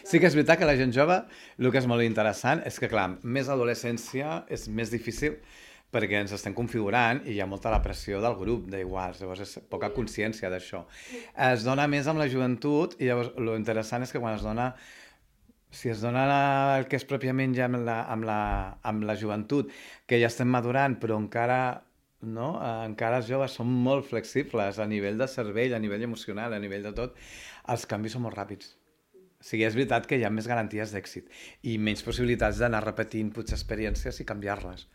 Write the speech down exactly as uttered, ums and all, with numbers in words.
Sí que és veritat que la gent jove, el que és molt interessant és que, clar, més adolescència és més difícil perquè ens estem configurant i hi ha molta la pressió del grup d'iguals, llavors és poca consciència d'això. Es dona més amb la joventut i llavors lo interessant és que quan es dona, si es dona el que és pròpiament ja amb la, amb la, amb la joventut, que ja estem madurant però encara no? Eh, encara els joves són molt flexibles a nivell de cervell, a nivell emocional, a nivell de tot, els canvis són molt ràpids. O sigui, és veritat que hi ha més garanties d'èxit i menys possibilitats d'anar repetint potser experiències i canviar-les.